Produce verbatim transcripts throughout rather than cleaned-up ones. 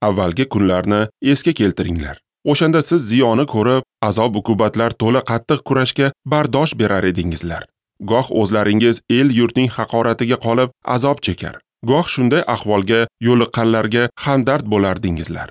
Avvalgi kunlarni esga keltiringlar. O'shanda siz ziyoni ko'rib, azob uqubatlar to'la qattiq kurashga bardosh berar edingizlar. Goh o'zlaringiz el-yurtning haqoratiga qolib azob chekar, goh shunday ahvolga yo'liqqanlarga hamdard bo'lardingizlar.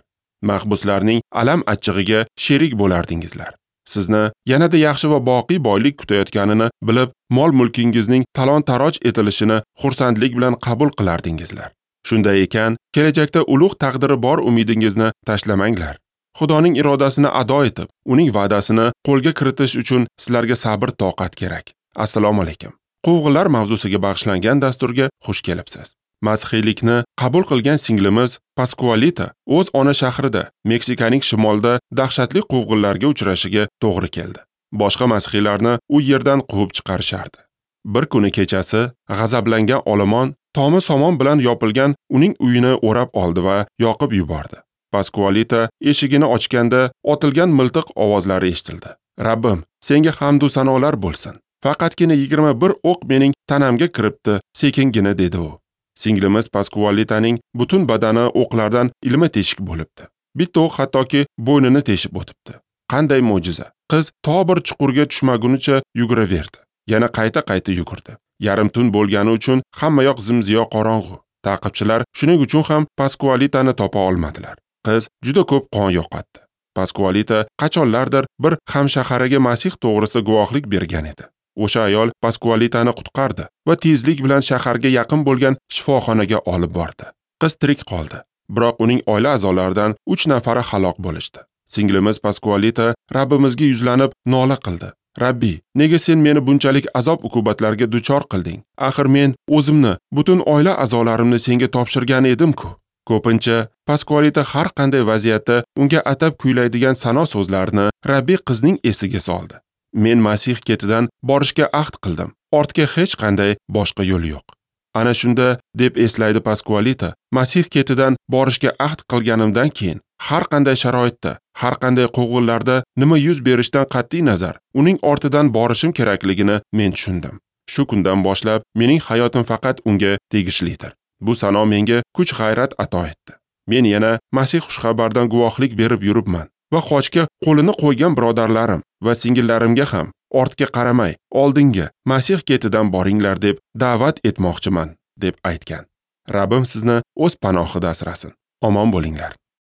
Mahbuslarning alam achchig'iga sherik bo'lardingizlar. Sizni yanada yaxshi va boqiy boylik kutayotganini bilib, mol-mulkingizning talon-taroj etilishini xursandlik bilan qabul qilardingizlar. Shunday ekan, kelajakda ulug' taqdiri bor umidingizni tashlamanglar. Xudoning irodasini ado etib, uning va'dasini qo'lga kiritish uchun sizlarga sabr toqat kerak. Assalomu alaykum. Quvg'inlar mavzusiga bag'ishlangan dasturga xush kelibsiz. Masihiylikni qabul qilgan singlimiz Paskualita o'z ona shahrida, Meksikaning shimolida dahshatli quvg'inlarga uchrashiga to'g'ri keldi. Boshqa masihiylarni u yerdan quvib chiqarishardi. Bir kuni kechasi g'azablangan olomon tomi somon bilan yopilgan uning uyini o'rab oldi va yoqib yubordi. Paskualita eshigini ochganda otilgan miltiq ovozlari eshitildi. Rabbim, senga hamd va sanolar bo'lsin. Faqatgina yigirma bir o'q mening tanamga kiribdi, sekingina, dedi u. Singlimiz Paskualitaning butun badani o'qlardan ilma teshik bo'libdi. Bitta o'q hattoki bo'ynini teshib o'tibdi. Qanday mo'jiza! Qiz to bir chuqurga tushmagunicha yuguraverdi. Yana qayta-qayta yugurdi. Yarim tun bo'lgani uchun hamma yoq zimziyo qorong'u. Ta'qibchilar shuning uchun ham Paskualitani topa olmadilar. Qiz juda ko'p qon yo'qotdi. Paskualita qachonlardir bir hamshahariga Masih to'g'risida guvohlik bergan edi. O'sha ayol Paskualitani qutqardi va tezlik bilan shaharga yaqin bo'lgan shifoxonaga olib bordi. Qiz tirik qoldi, biroq uning oila a'zolaridan uch nafari halok bo'lishdi. Singlimiz Paskualita Rabbimizga yuzlanib nola qildi. Rabbi, nega sen meni bunchalik azob-uqubatlarga duchor qilding? Axir men o'zimni, butun oila a'zolarimni senga topshirgan edim-ku. Ko'pincha Paskualita har qanday vaziyatda unga atab kuylaydigan sano so'zlarini Rabbi qizning esiga soldi. Men Masih ketidan borishga ahd qildim. Ortga hech qanday boshqa yo'l yo'q. Ana shunda, deb eslaydi Paskualita, Masih ketidan borishga ahd qilganimdan keyin har qanday sharoitda, har qanday quvg'inlarda nima yuz berishidan qat'iy nazar, uning ortidan borishim kerakligini men tushundim. Shu kundan boshlab mening hayotim faqat unga tegishlidir. Bu sano menga kuch-g'ayrat ato etdi. Men yana Masih xushxabardan guvohlik berib yuribman va xochga qo'lini qo'ygan birodarlarim va singillarimga ham ortga qaramay, oldinga Masih ketidan boringlar deb da'vat etmoqchiman, deb aytgan. Rabbim sizni o'z panohida asrasin. Omon bo'linglar.